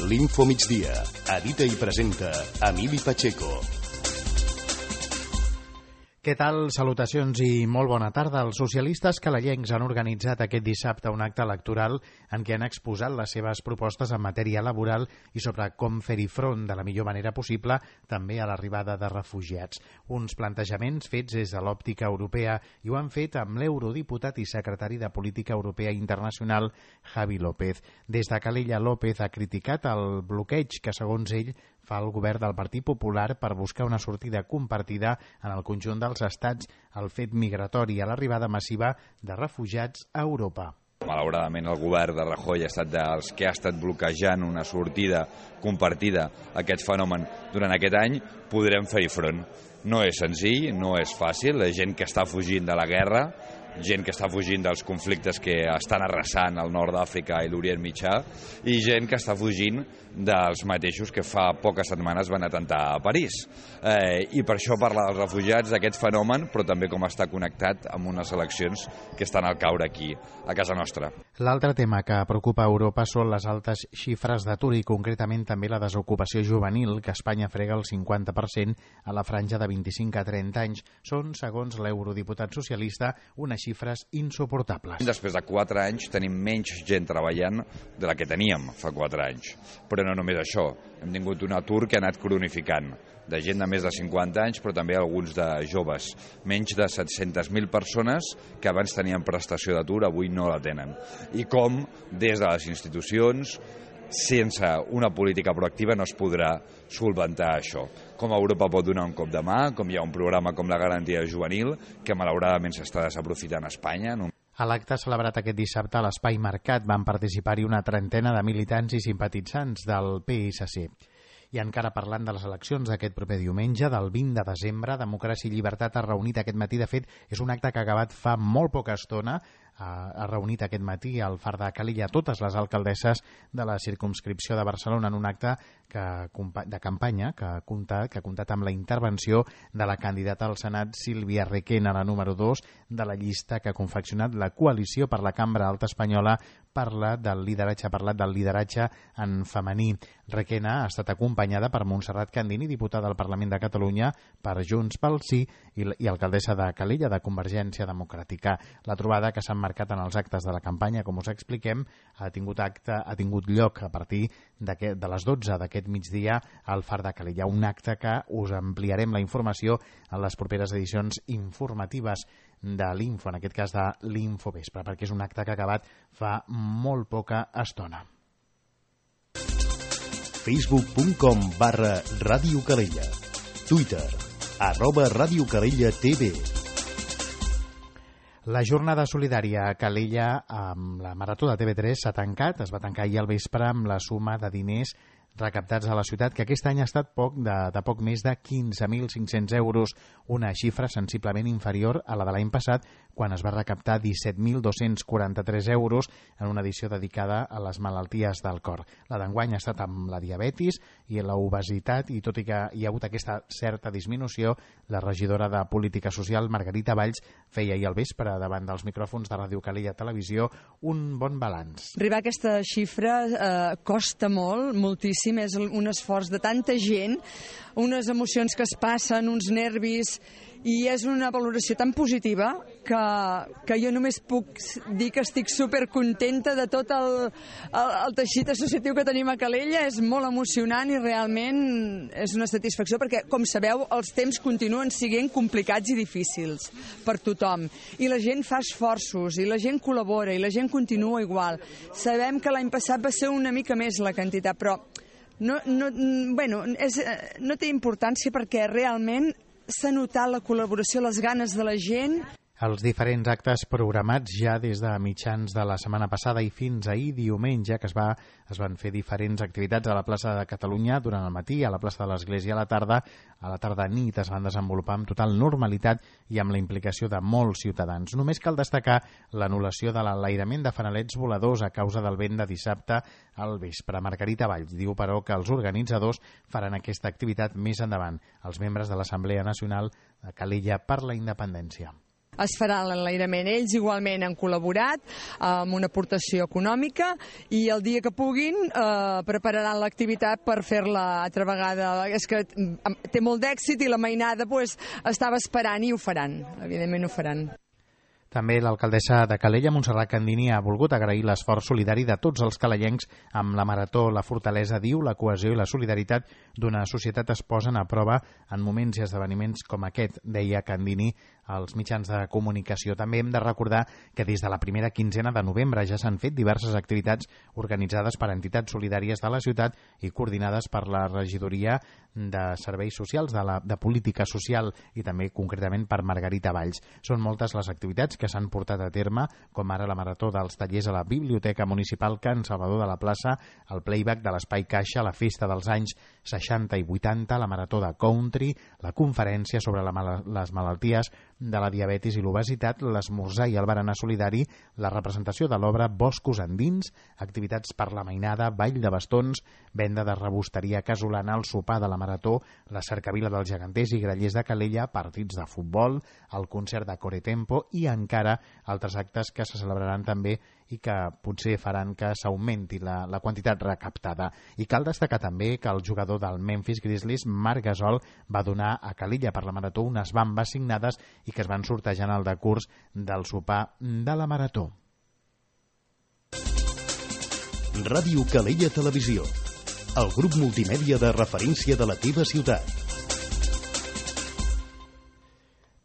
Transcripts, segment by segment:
L'Info Migdia. Edita i presenta Emili Pacheco. Què tal? Salutacions i molt bona tarda. Els socialistes calellencs han organitzat aquest dissabte un acte electoral en què han exposat les seves propostes en matèria laboral i sobre com fer-hi front de la millor manera possible també a l'arribada de refugiats. Uns plantejaments fets des de l'òptica europea i ho han fet amb l'eurodiputat i secretari de Política Europea Internacional, Javi López. Des de Calella, López ha criticat el bloqueig que, segons ell, fa el govern del Partit Popular per buscar una sortida compartida en el conjunt dels estats al fet migratori i a l'arribada massiva de refugiats a Europa. Malauradament el govern de Rajoy ha estat dels que ha estat bloquejant una sortida compartida a aquest fenomen durant aquest any. Podrem fer-hi front. No és senzill, no és fàcil. La gent que està fugint de la guerra, gent que està fugint dels conflictes que estan arrasant el nord d'Àfrica i l'Orient Mitjà, i gent que està fugint dels mateixos que fa poques setmanes van atemptar a París. I per això parla dels refugiats, d'aquest fenomen, però també com està connectat amb unes eleccions que estan al caure aquí, a casa nostra. L'altre tema que preocupa a Europa són les altes xifres d'atur i concretament també la desocupació juvenil, que Espanya frega el 50% a la franja de 25 a 30 anys. Són, segons l'eurodiputat socialista, unes xifres insuportables. Després de 4 anys tenim menys gent treballant de la que teníem fa 4 anys. Però no només això, hem tingut un atur que ha anat cronificant, de gent de més de 50 anys, però també alguns de joves. Menys de 700.000 persones que abans tenien prestació d'atur, avui no la tenen. I com, des de les institucions, sense una política proactiva no es podrà solventar això. Com Europa pot donar un cop de mà, com hi ha un programa com la garantia juvenil, que malauradament s'està desaprofitant a Espanya. A l'acte celebrat aquest dissabte a l'Espai Mercat van participar-hi una trentena de militants i simpatitzants del PSC. I encara parlant de les eleccions d'aquest proper diumenge, del 20 de desembre, Democràcia i Llibertat ha reunit aquest matí. De fet, és un acte que ha acabat fa molt poca estona. Ha reunit aquest matí al Far de Calella totes les alcaldesses de la circumscripció de Barcelona en un acte de campanya que ha comptat amb la intervenció de la candidata al Senat Sílvia Requena, la número 2 de la llista que ha confeccionat la coalició per la Cambra Alta Espanyola. Ha parlat del lideratge en femení. Requena ha estat acompanyada per Montserrat Candini, diputada del Parlament de Catalunya per Junts pel Sí i alcaldessa de Calella de Convergència Democràtica. La trobada, que s'ha marcat en els actes de la campanya, com us expliquem, ha tingut lloc a partir de les 12 d'aquest migdia al Far de Calella. Un acte que us ampliarem la informació en les properes edicions informatives de l'Info, en aquest cas de l'Info Vespre, perquè és un acte que ha acabat fa molt poca estona. Facebook.com/Ràdio Calella. Twitter @Ràdio Calella TV. La jornada solidària a Calella amb la Marató de TV3 s'ha tancat. Es va tancar ahir al vespre amb la suma de diners recaptats a la ciutat, que aquest any ha estat de poc més de 15.500 euros, una xifra sensiblement inferior a la de l'any passat, quan es va recaptar 17.243 euros en una edició dedicada a les malalties del cor. La d'enguany ha estat amb la diabetis i l'obesitat, i tot i que hi ha hagut aquesta certa disminució, la regidora de Política Social, Margarita Valls, feia ahir al vespre davant dels micròfons de Ràdio Calella Televisió un bon balanç. Arribar a aquesta xifra costa molt, moltíssim. És un esforç de tanta gent, unes emocions que es passen, uns nervis, i és una valoració tan positiva que jo només puc dir que estic supercontenta de tot el teixit associatiu que tenim a Calella. És molt emocionant i realment és una satisfacció perquè, com sabeu, els temps continuen sent complicats i difícils per tothom. I la gent fa esforços, i la gent col·labora, i la gent continua igual. Sabem que l'any passat va ser una mica més la quantitat, però no té importància perquè realment s'ha notat la col·laboració, les ganes de la gent. Els diferents actes programats ja des de mitjans de la setmana passada i fins ahir diumenge, que es van fer diferents activitats a la plaça de Catalunya durant el matí, a la plaça de l'Església a la tarda nit es van desenvolupar amb total normalitat i amb la implicació de molts ciutadans. Només cal destacar l'anul·lació de l'enlairament de fanalets voladors a causa del vent de dissabte al vespre. Margarita Valls diu, però, que els organitzadors faran aquesta activitat més endavant, els membres de l'Assemblea Nacional de Calella per la Independència. es farà l'enlairament. Ells igualment han col·laborat amb una aportació econòmica i el dia que puguin prepararan l'activitat per fer-la altra vegada. És que té molt d'èxit i la mainada estava esperant i ho faran, evidentment ho faran. També l'alcaldessa de Calella, Montserrat Candini, ha volgut agrair l'esforç solidari de tots els calellencs amb la Marató. La fortalesa, diu, la cohesió i la solidaritat d'una societat es posen a prova en moments i esdeveniments com aquest, deia Candini als mitjans de comunicació. També hem de recordar que des de la primera quinzena de novembre ja s'han fet diverses activitats organitzades per entitats solidàries de la ciutat i coordinades per la regidoria de serveis socials, de política social i també concretament per Margarita Valls. Són moltes les activitats que s'han portat a terme, com ara la Marató dels tallers a la Biblioteca Municipal Can Salvador de la Plaça, el playback de l'Espai Caixa, la festa dels anys 60 i 80, la Marató de Country, la conferència sobre les malalties de la diabetis i l'obesitat, l'esmorzar i el berenar solidari, la representació de l'obra Boscos endins, activitats per la mainada, ball de bastons, venda de rebosteria casolana, el sopar de la Marató, la cercavila dels geganters i grallers de Calella, partits de futbol, el concert de Coretempo i encara altres actes que se celebraran també i que potser faran que s'augmenti la quantitat recaptada. I cal destacar també que el jugador del Memphis Grizzlies, Marc Gasol, va donar a Calella per la Marató unes bambes signades i que es van sortejar en el decurs del sopar de la Marató. Ràdio Calella Televisió, el grup multimèdia de referència de la teva ciutat.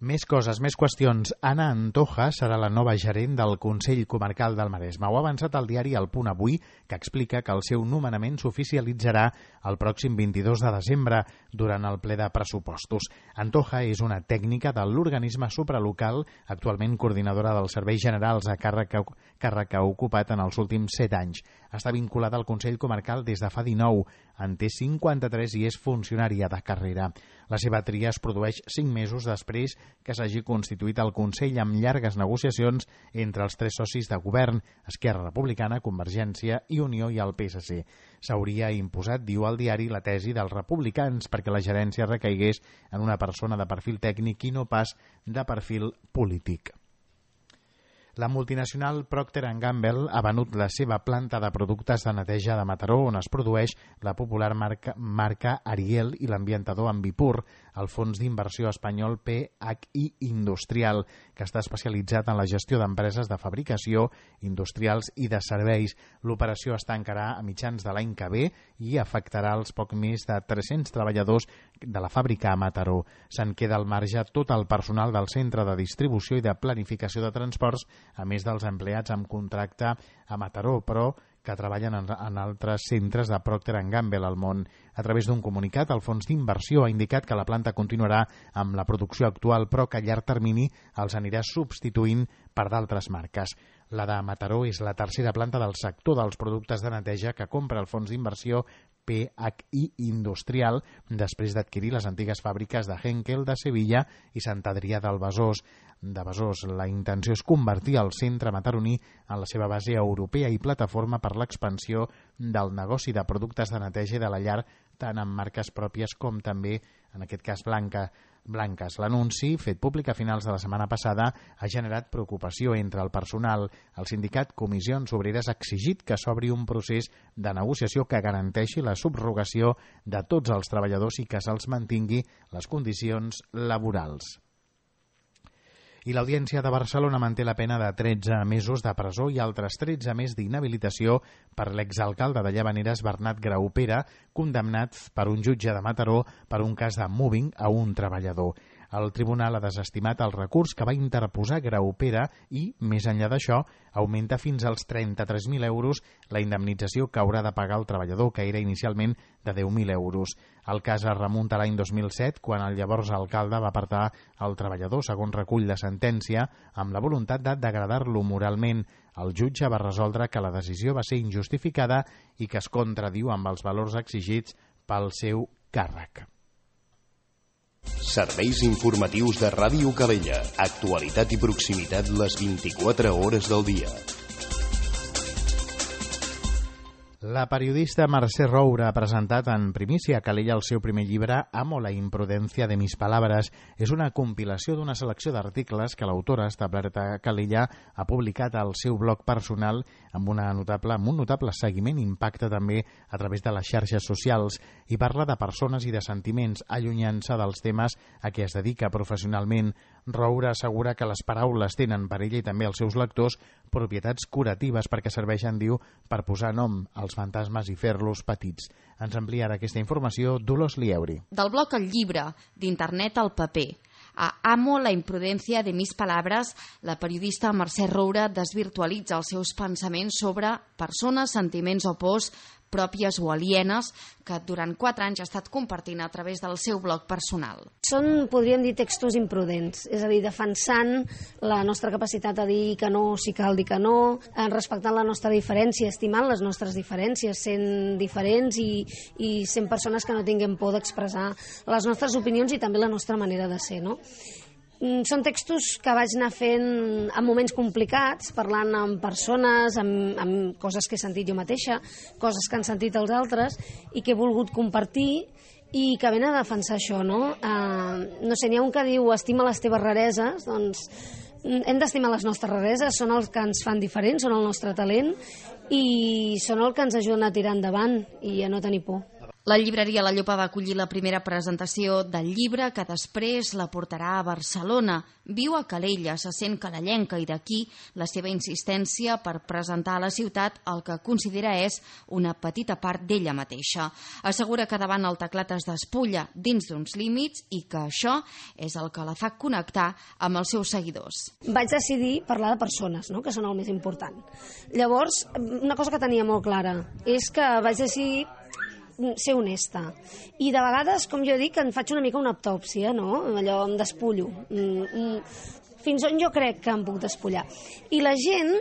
Més coses, més qüestions. Anna Antoja serà la nova gerent del Consell Comarcal del Maresme. Ho ha avançat el diari El Punt Avui, que explica que el seu nomenament s'oficialitzarà el pròxim 22 de desembre durant el ple de pressupostos. Antoja és una tècnica de l'organisme supralocal, actualment coordinadora dels serveis generals a càrrec que ha ocupat en els últims 7 anys. Està vinculada al Consell Comarcal des de fa 19, en té 53 i és funcionària de carrera. La seva tria es produeix 5 mesos després que s'hagi constituït el Consell amb llargues negociacions entre els 3 socis de govern, Esquerra Republicana, Convergència i Unió i el PSC. S'hauria imposat, diu el diari, la tesi dels republicans perquè la gerència recaigués en una persona de perfil tècnic i no pas de perfil polític. La multinacional Procter & Gamble ha venut la seva planta de productes de neteja de Mataró, on es produeix la popular marca Ariel i l'ambientador Ambipur, el fons d'inversió espanyol PHI Industrial, que està especialitzat en la gestió d'empreses de fabricació, industrials i de serveis. L'operació es tancarà a mitjans de l'any que ve i afectarà els poc més de 300 treballadors de la fàbrica a Mataró. Se'n queda al marge tot el personal del centre de distribució i de planificació de transports, a més dels empleats amb contracte a Mataró, però que treballen en altres centres de Procter & Gamble al món. A través d'un comunicat, el fons d'inversió ha indicat que la planta continuarà amb la producció actual, però que a llarg termini els anirà substituint per d'altres marques. La de Mataró és la tercera planta del sector dels productes de neteja que compra el fons d'inversió PHI Industrial després d'adquirir les antigues fàbriques de Henkel de Sevilla i Sant Adrià del Besòs. La intenció és convertir el centre mataroní en la seva base europea i plataforma per l'expansió del negoci de productes de neteja i de la llar, tant amb marques pròpies com també, en aquest cas, blanques. L'anunci, fet públic a finals de la setmana passada, ha generat preocupació entre el personal. El sindicat Comissions Obreres ha exigit que s'obri un procés de negociació que garanteixi la subrogació de tots els treballadors i que se'ls mantingui les condicions laborals. I l'Audiència de Barcelona manté la pena de 13 mesos de presó i altres 13 més d'inhabilitació per l'exalcalde de Llavaneres, Bernat Graupera, condemnat per un jutge de Mataró per un cas de mobbing a un treballador. El tribunal ha desestimat el recurs que va interposar Graupera i, més enllà d'això, augmenta fins als 33.000 euros la indemnització que haurà de pagar el treballador, que era inicialment de 10.000 euros. El cas es remunta a l'any 2007, quan el llavors alcalde va apartar el treballador, segons recull la sentència, amb la voluntat de degradar-lo moralment. El jutge va resoldre que la decisió va ser injustificada i que es contradiu amb els valors exigits pel seu càrrec. Serveis informatius de Ràdio Calella. Actualitat i proximitat les 24 hores del dia. La periodista Mercè Roura ha presentat en primícia a Calella el seu primer llibre Amo la imprudència de mis palabras. És una compilació d'una selecció d'articles que l'autora, establerta a Calella, ha publicat al seu blog personal amb un notable seguiment i impacte també a través de les xarxes socials, i parla de persones i de sentiments, allunyant-se dels temes a què es dedica professionalment. Roura assegura que les paraules tenen per ella i també als seus lectors propietats curatives perquè serveixen, diu, per posar nom als fantasmes i fer-los petits. Ens ampliarà aquesta informació Dolors Lieuri. Del blog al llibre, d'internet al paper. A Amo la imprudència de mis palabras, la periodista Mercè Roura desvirtualitza els seus pensaments sobre persones, sentiments o pors pròpies o alienes que durant 4 anys ha estat compartint a través del seu blog personal. Són, podríem dir, textos imprudents, és a dir, defensant la nostra capacitat de dir que no si cal dir que no, respectant la nostra diferència, estimant les nostres diferències, sent diferents i sent persones que no tinguem por d'expressar les nostres opinions i també la nostra manera de ser, no? Són textos que vaig anar fent en moments complicats, parlant amb persones, amb coses que he sentit jo mateixa, coses que han sentit els altres i que he volgut compartir i que venen a defensar això, no? No sé, n'hi ha un que diu estima les teves rareses, doncs hem d'estimar les nostres rareses, són els que ens fan diferents, són el nostre talent i són el que ens ajuden a tirar endavant i a no tenir por. La llibreria La Llopa va acollir la primera presentació del llibre, que després la portarà a Barcelona. Viu a Calella, se sent calellenca i d'aquí la seva insistència per presentar a la ciutat el que considera és una petita part d'ella mateixa. Assegura que davant el teclat es despulla dins d'uns límits i que això és el que la fa connectar amb els seus seguidors. Vaig decidir parlar de persones, no?, que són el més important. Llavors, una cosa que tenia molt clara és que vaig decidir ser honesta. I de vegades, com jo dic, en faig una mica una autòpsia, no? Allò, em despullo. Fins on jo crec que em puc despullar. I la gent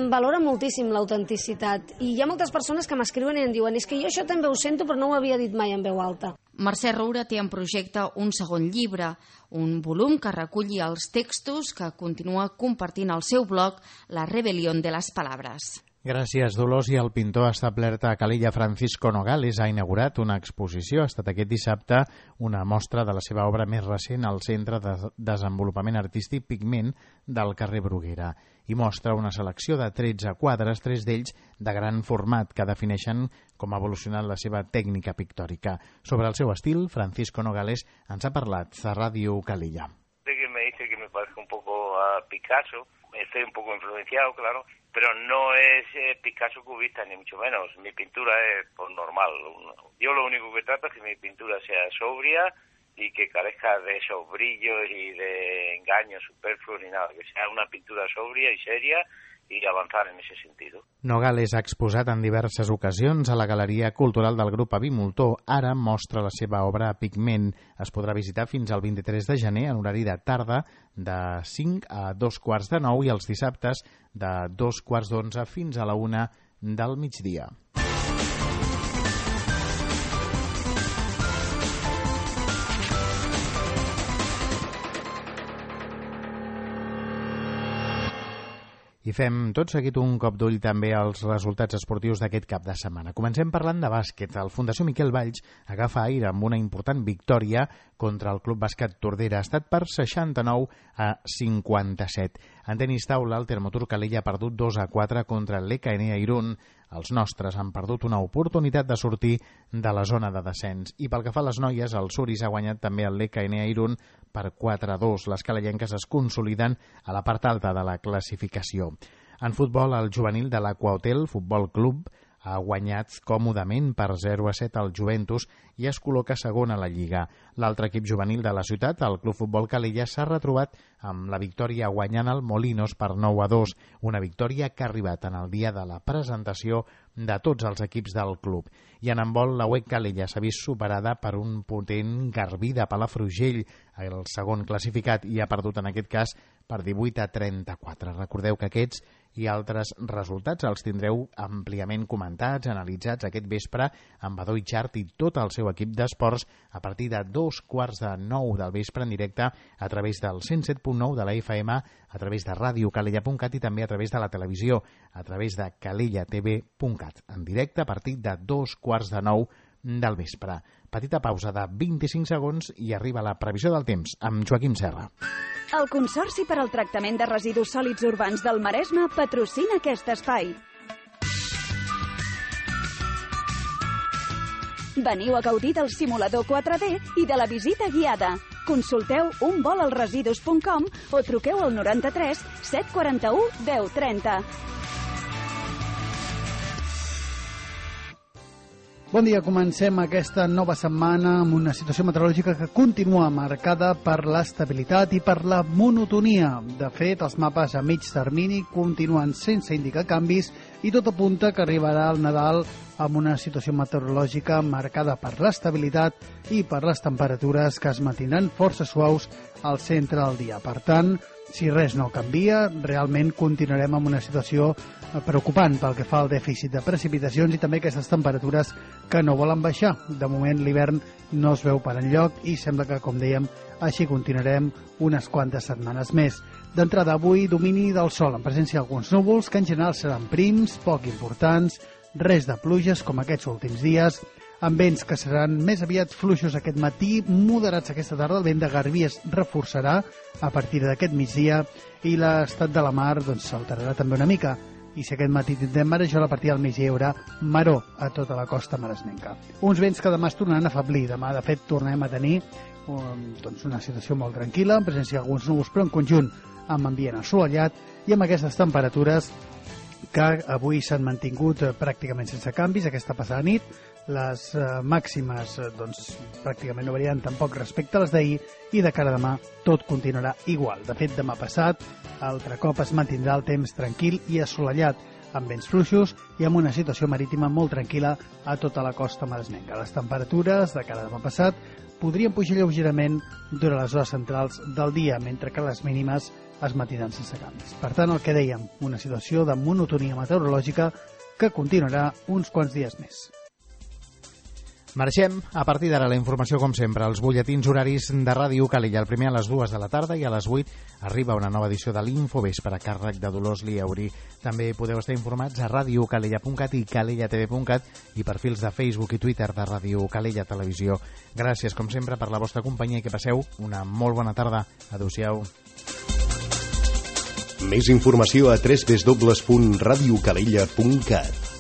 valora moltíssim l'autenticitat. I hi ha moltes persones que m'escriuen i em diuen és que jo això també ho sento però no ho havia dit mai en veu alta. Mercè Roura té en projecte un segon llibre, un volum que reculli els textos que continua compartint al seu blog La rebelión de las palabras. Gràcies, Dolors. I el pintor establert a Calella, Francisco Nogales, ha inaugurat una exposició. Ha estat aquest dissabte una mostra de la seva obra més recent al Centre de Desenvolupament Artístic Pigment del carrer Bruguera i mostra una selecció de 13 quadres, 3 d'ells de gran format, que defineixen com ha evolucionat la seva tècnica pictòrica. Sobre el seu estil, Francisco Nogales ens ha parlat a Ràdio Calella. Me dice que me parezca un poco a Picasso, estoy un poco influenciado, claro, pero no es Picasso cubista ni mucho menos. Mi pintura es normal. Yo lo único que trato es que mi pintura sea sobria y que carezca de esos brillos y de engaños superfluos ni nada, que sea una pintura sobria y seria i avançar en aquest sentit. Nogales ha exposat en diverses ocasions a la Galeria Cultural del Grup Avi Moltó. Ara mostra la seva obra a Pigment. Es podrà visitar fins al 23 de gener en horari de tarda de 5 a 2:45 i els dissabtes de 2:15 fins a la 1 del migdia. I fem tot seguit un cop d'ull també als resultats esportius d'aquest cap de setmana. Comencem parlant de bàsquet. El Fundació Miquel Valls agafa aire amb una important victòria contra el Club Bàsquet Tordera. Ha estat per 69-57. En tenis taula, el Termotur Calella ha perdut 2-4 contra l'EKN Irún. Els nostres han perdut una oportunitat de sortir de la zona de descens. I pel que fa a les noies, el Suris ha guanyat també el l'EKN Irún per 4-2. Les calellenques es consoliden a la part alta de la classificació. En futbol, el juvenil de l'Aquahotel Futbol Club ha guanyat còmodament per 0-7 al Juventus i es col·loca segon a la Lliga. L'altre equip juvenil de la ciutat, el Club Futbol Calella, s'ha retrobat amb la victòria guanyant el Molinos per 9-2, una victòria que ha arribat en el dia de la presentació de tots els equips del club. I en handbol, la UEC Calella s'ha vist superada per un potent Garbí de Palafrugell, el segon classificat, i ha perdut en aquest cas per 18-34. Recordeu que aquests i altres resultats els tindreu àmpliament comentats, analitzats aquest vespre amb Badó Itxart i tot el seu equip d'esports a partir de 8:45 del vespre en directe a través del 107.9 de la FM, a través de radiocalella.cat i també a través de la televisió, a través de calellatv.cat, en directe a partir de 8:45 del vespre. Petita pausa de 25 segons i arriba la previsió del temps amb Joaquim Serra. El Consorci per al Tractament de Residus Sòlids Urbans del Maresme patrocina aquest espai. Veniu a gaudir del simulador 4D i de la visita guiada. Consulteu unvolalresidus.com o truqueu al 93 741 1030. Bon dia, comencem aquesta nova setmana amb una situació meteorològica que continua marcada per l'estabilitat i per la monotonia. De fet, els mapes a mig termini continuen sense indicar canvis i tot apunta que arribarà el Nadal amb una situació meteorològica marcada per l'estabilitat i per les temperatures que es mantindran força suaus al centre del dia. Per tant, si res no canvia, realment continuarem amb una situació preocupant pel que fa al dèficit de precipitacions i també aquestes temperatures que no volen baixar. De moment l'hivern no es veu per enlloc i sembla que, com dèiem, així continuarem unes quantes setmanes més. D'entrada avui, domini del sol en presència d'alguns núvols que en general seran prims, poc importants, res de pluges com aquests últims dies, amb vents que seran més aviat fluixos aquest matí, moderats aquesta tarda. El vent de Garbí es reforçarà a partir d'aquest migdia i l'estat de la mar s'alterarà també una mica. I si aquest matí tindrem marejol, a partir del migdia hi haurà maror a tota la costa maresmenca. Uns vents que demà es tornaran a afeblir. Demà, de fet, tornem a tenir una situació molt tranquil·la, en presència d'alguns núvols, però en conjunt amb ambient assolellat i amb aquestes temperatures que avui s'han mantingut pràcticament sense canvis aquesta passada nit. Les màximes pràcticament no varien tampoc respecte a les d'ahir i de cara a demà tot continuarà igual. De fet, demà passat altre cop es mantindrà el temps tranquil i assolellat amb vents fluixos i amb una situació marítima molt tranquil·la a tota la costa maresmenca. Les temperatures de cara a demà passat podrien pujar lleugerament durant les hores centrals del dia, mentre que les mínimes es mantindran sense canvis. Per tant, el que dèiem, una situació de monotonia meteorològica que continuarà uns quants dies més. Marxem. A partir d'ara la informació, com sempre, els butlletins horaris de Ràdio Calella. El primer a les 2 de la tarda i a les 8 arriba una nova edició de l'Infovespre a càrrec de Dolors Liauri. També podeu estar informats a radiocalella.cat i calellatv.cat i perfils de Facebook i Twitter de Ràdio Calella Televisió. Gràcies, com sempre, per la vostra companyia i que passeu una molt bona tarda. Adéu-siau. Més informació a www.radiocalella.cat.